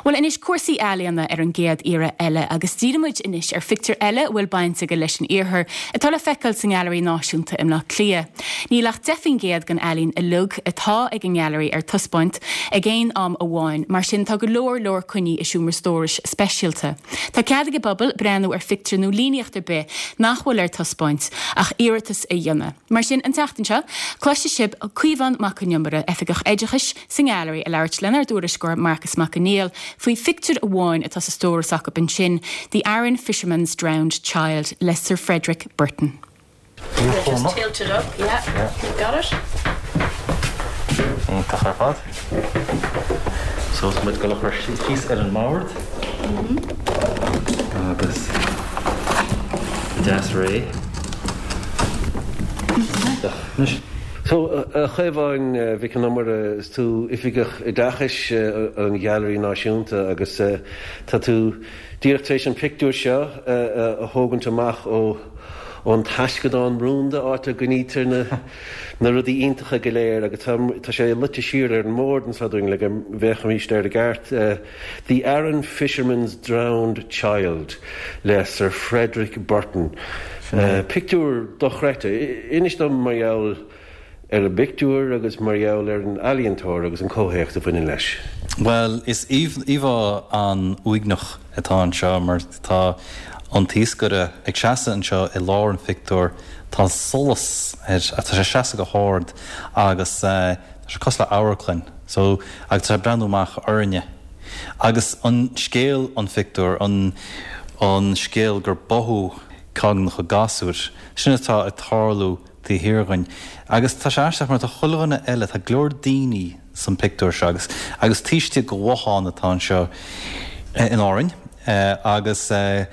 Bhuel anois, cúrsaí ealaíona ar an gcéad iarraidh eile agus díreoidh muid anois ar phictiúr eile a bhfuil baint aige leis an Iarthar atá le feiceáil sa nGailearaí Náisiúnta i mBleá Cliath. Níl ach 10% den ealaín uilig atá ag an nGailearaí ar taispeáint ag aon am amháin, mar sin tá go leor leor coinnithe i seomra stórais speisialta. Tá cead ag an bpobal breathnú ar phictiúr nó líníocht ar bith nach bhfuil ar taispeáint ach iarratas a dhéanamh. Mar sin, an tseachtain seo, cloisfidh sibh Caomhán Mac Con Iomaire, Oifigeach Oideachais sa nGailearaí, ag labhairt lenár dtuairisceoir Marcus Mac Conghail faoi phictiúr amháin atá sa stóras acu ansin, The Aran Fisherman's Drowned Child le Sir Frederick Burton. Just tilt it up, yeah. You got it? Iontach ar fad. So tá muid ag dul a chur síos ar an mbord. Agus deas réidh. Iontach. Anois. So, a Chaomháin Mhic Con Iomaire, is tú Oifigeach Oideachais an Ghailearaí Náisiúnta agus tá tú díreach tar éis an pictiúr seo a thógaint amach ó ón taisceadán rúnda, áit a gcoinnítear na na rudaí iontacha go léir agus tá tá sé luite siar ar an mbord anseo dúinn le go bhféachfaimis air i gceart. The Aran Fisherman's Drowned Child le Sir Frederick Burton. Pictiúr dochreidte. Inis dom mar gheall ar an bpictiúr agus mar gheall ar an ealaíontóir agus an comhthéacs a bhaineann leis. Bhuel, is íomhá an-uaigneach atá anseo mar tá an t-iascaire ag seasamh anseo i lár an phictiúir, tá solas air, tá sé ag seasamh go hard agus tá sé cosúil le amharclann so agus tá sé ag breathnú amach orainne. Agus an scéal an phictiúir, an an scéal gur báthadh caighneacha gasúir, sin atá ag tarlú taobh thiar dhúinn. Agus tá sé aisteach mar tá chuile dhuine eile, tá go leor daoine san pictiúr seo agus agus taobh istigh de bhothán atá anseo in Árainn agus tá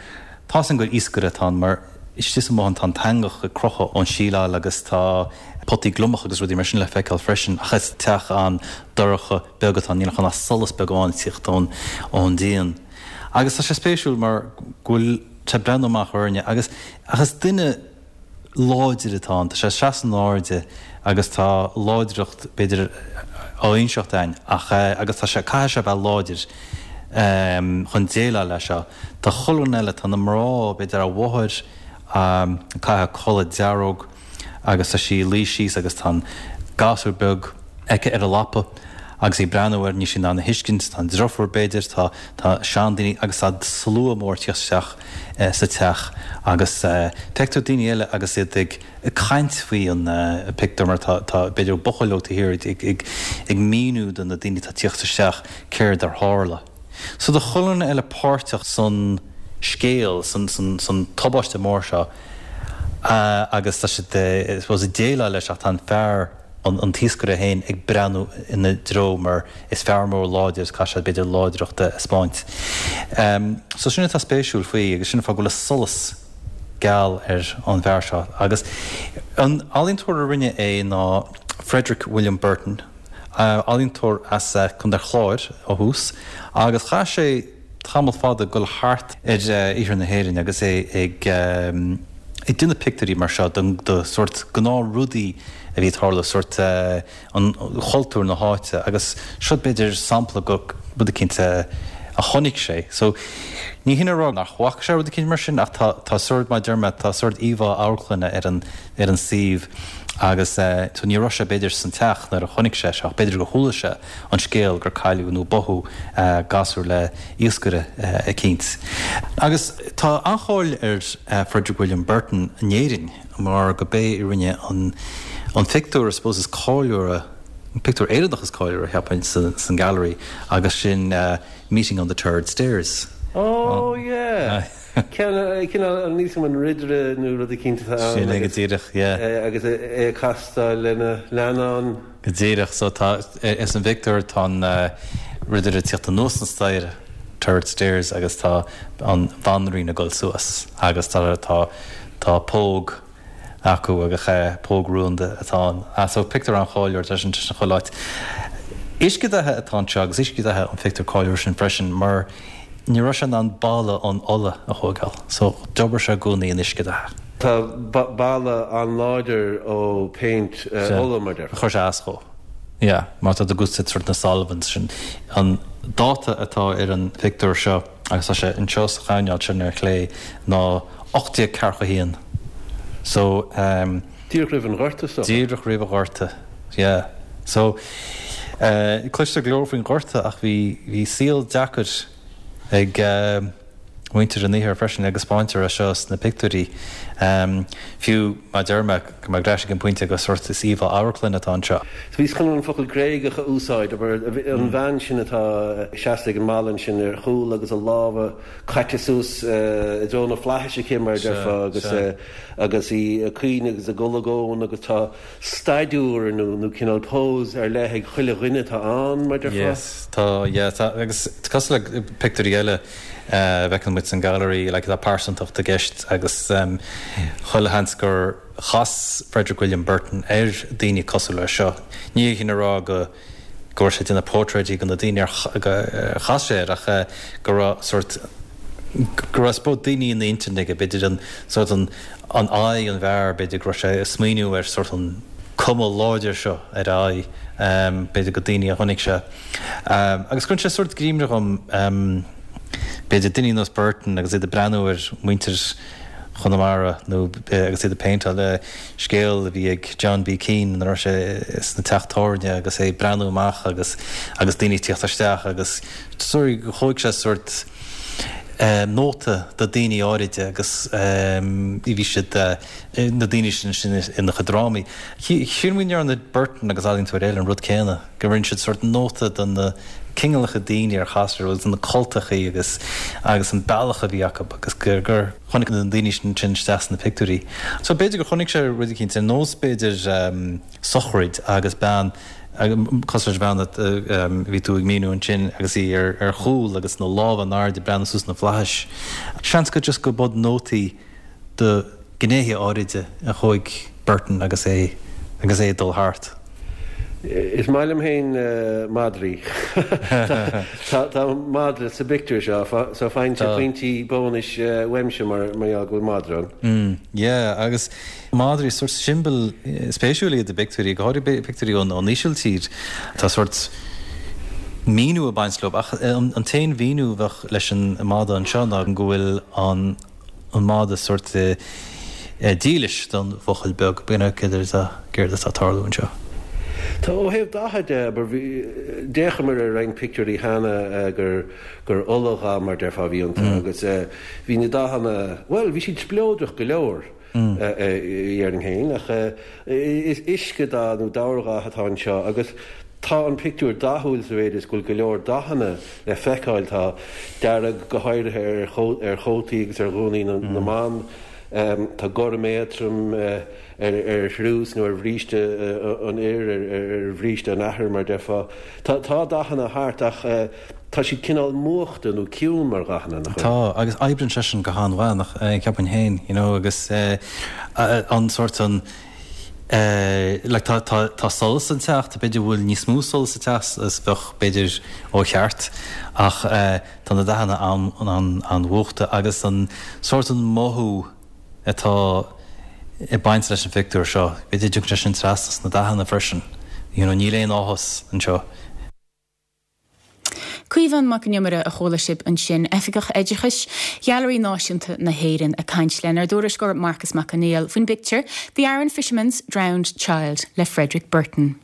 'fhios againn gur iascaire atá ann mar istigh sa mbothán tá an t-eangach ag crochadh ón síleáil agus tá potaí gliomach agus rudaí mar sin le feiceáil freisin ach is teach an-dorcha beag atá ann, níl ach solas beag amháin ag tíocht ón ón díon. Agus tá sé spéisiúil mar go bhfuil sé ag breathnú amach orainne agus ach is duine láidir atá ann. Tá sé ag seasamh in airde agus tá láidreacht, b'fhéidir, á inseacht dúinn ach agus tá sé, caithfidh sé a bheith láidir chun déileáil leis seo. Tá chuile dhuine eile, tá na mná, b'fhéidir a mháthair ag caitheamh culaith dearg agus tá sí ag luí síos agus tá an gasúr beag aici ar a lapa agus í ag breathnú air, níl sí in ann a thuiscint, tá an driofúr b'fhéidir, tá, tá seandaoine agus tá slua mór ag tíocht isteach sa teach agus feictear daoine eile agus iad ag caint faoi an pictiúr mar tá, tá b'fhéidir buachaill óg taobh thiar ag, ag, ag míniú do na daoine atá ag tíocht isteach céard ar tharla. So tá chuile dhuine eile páirteach san scéal, san, san, san tubaiste mór seo agus tá siad, I suppose, ag déileáil leis ach tá an fear, an t-iascaire féin ag breathnú ina dtreo mar is fear mór láidir is caithfidh sé b'fhéidir láidreacht a 'spáint. So sin atá spéisiúil faoi agus sin an fáth go bhfuil an solas geal ar an bhfear seo. Agus an ealaíontóir a rinne é ná Frederick William Burton, ealaíontóir as Contae an Chláir ó thús agus chaith sé tamall fada ag dul thart ar iarthar na hÉireann agus é ag ag déanamh pictiúirí mar seo de sórt gnáthrudaí a bhí ag tarlú, sórt an chultúr na háite agus seo b'fhéidir sampla de rud eicínt a chonaic sé. So ní hin a rá nach bhfaca sé rud eicínt mar sin ach tá tá sórt, mar a deir mé, tá sórt íomhá amharclainne ar an ar an suíomh agus so ní raibh sé b'fhéidir san teach nuair a chonaic sé seo ach b'fhéidir gur chuala sé an scéal gur cailleadh nó báthadh gasúr le iascaire eicínt. Agus tá an-cháil ar Frederick William Burton in Éirinn mar go b'é a rinne an an phictiúr I suppose is cáiliúra, an pictiúr Éireannach is cáiliúra cheapfainn san Gallery agus sin Meeting on the Turret Stairs. Oh yeah! Ceann, cineál, an níos an ridire nó rud eicínt atá ann. Sin é go díreach, yeah. Agus é ag castáil lena leannán. Go díreach, so tá, ins an bpictiúr tá an ridire ag tíocht anuas an staighre, turret stairs, agus tá an bhanríon ag dul suas agus tá, tá, tá póg acu agus póg rúnda atá ann. Ah, so pictiúr an-cháiliúil, tá sin, tá sin chuile áit. Uiscedhatha atá anseo agus uiscedhatha an phictiúr cáiliúil sin freisin mar ní raibh sé in ann balla an ola a thóigeáil so d'obair sé i gcónaí in uiscedhatha. Tá balla an-láidir ó péint ola, mar déarfá. Chuir sé as dhó. Yeah, mar tá tú ag úsáid sort na solvents sin. An. dáta atá ar an phictiúr seo, agus tá sé anseo sa choirnéal sin ar chlé, ná 1841. So. Díreach roimh an Ghorta, is dócha. Díreach roimh an Ghorta, yeah. So, cloistear go leor faoin Ghorta ach bhí, bhí saol deacair ag muintir an Iarthair freisin agus spáintear é seo sna pictiúirí. Fiú mar a deir mé, go mbeidh ar ais ag an bpointe go sórt is íomhá amharclainne atá anseo. So bhíos chun an focal Gréigeach a úsáid, abair, an bhean sin atá seasta ag an mballa ansin ar chúl agus a lámha caite suas i dtreo na flaithis aici, mar a déarfá, agus agus í ag caoineadh agus ag olagón agus tá staidiúir nó nó cineál pose ar leith ag chuile dhuine atá ann, mar a déarfá. Yes, tá, yeah, tá, agus cosúil le pictiúirí eile a bhfeiceann muid san Gallery, like tá pearsantacht i gceist agus chuile sheans gur chas Frederick William Burton ar daoine cosúil leis seo. Ní hin a rá go go raibh sé ag déanamh portráidí de na daoine ar chas sé air ach go raibh sórt, go raibh I suppose daoine ina intinn aige, b'fhéidir an sórt an an aghaidh an bhfear, b'fhéidir go raibh sé ag smaoineamh ar sórt an cuma láidir seo ar a aghaidh, b'fhéidir go daoine a chonaic sé. Agus cuireann sé sórt i gcuimhne dhom, b'fhéidir daoine ar nós Burton agus iad ag breathnú ar mhuintir Chonamara nó agus iad ag péinteáil scéal a bhí ag John B. Keane nuair a raibh sé sna teach tábhairne agus é ag breathnú amach agus agus daoine ag tíocht isteach agus sorry thóig sé sórt nóta de daoine áiride agus bhí siad na daoine sin sin ina chuid drámaí. Sílim go ndearna Burton agus ealaíontóirí eile an rud céanna, go rinne siad sórt nóta de na cineálacha daoine ar chas siad agus na cultachaí agus agus an bealach a bhí acu agus gur gur chonaic na daoine sin sin isteach sna pictiúirí. So b'fhéidir gur chonaic sé rud eicínt ar nós b'fhéidir sochraid agus bean cosúil leis an bhean a bhí tú ag míniú ansin agus í ar ar chúl agus na lámha in airde ag breathnú suas na flaithis. Seans go just go b'iad nótaí do ghnéithe áiride a thóig Burton agus é agus é ag dul thart. Is maith liom féin madraí. Tá madra sa bpictiúr seo, so faigheann sé pointí bónais uaimse mar gheall go bhfuil madra ann. Yeah, agus madraí, sórt siombail spéisiúil iad i bpictiúirí, go háirithe pictiúirí ón Ísiltír. Tá sórt míniú ag baint leo, ach an t-aon mhíniú a bheadh leis an madadh anseo ná go bhfuil an an madadh sórt dílis don bhuachaill beag. B'in é céard atá céard atá ag tarlú anseo. Tá, ó thaobh datha de, abair, bhí, d'fhéachamar ar roinnt pictiúirí cheana gur, gur oladhath, mar déarfá, a bhí iontu agus bhí na dathanna, bhuel, bhí siad spleodrach go leor, déarfainn féin, ach is uiscedhath nó dobhardhath atá anseo agus tá an pictiúr dathúil sa mhéid is go bhfuil go leor dathanna le feiceáil. Tá dearg go háirithe ar chótaí agus ar ghúnaí na mban, tá gorm éadtrom ar thriús nó ar bhríste an fhir, ar bhríste an athar mar déarfá. Tá dathanna thart ach tá siad cineál múchta nó ciúin mar dhathanna, nach bhfuil? Tá, agus oibríonn sé sin go han-mhaith, nach, ceapaim féin, you know, agus an sórt an, like tá, tá, tá solas sa teach, tá b'fhéidir bhfuil níos mó solas sa teach is bheadh b'fhéidir ó cheart ach tá na dathanna an-mhúchta agus an sórt an mothú atá ag baint leis an phictiúr seo, b'fhéidir dtiocfaidh sé sin trasna sna dathanna freisin, you know, níl aon áthas anseo. Caomhán Mac Con Iomaire a chuala sibh ansin, Oifigeach Oideachais Ghailearaí Náisiúnta na hÉireann ag caint lenár dtuairisceoir Marcas Mac Conghail faoin bpictiúr The Aran Fisherman's Drowned Child le Frederick Burton.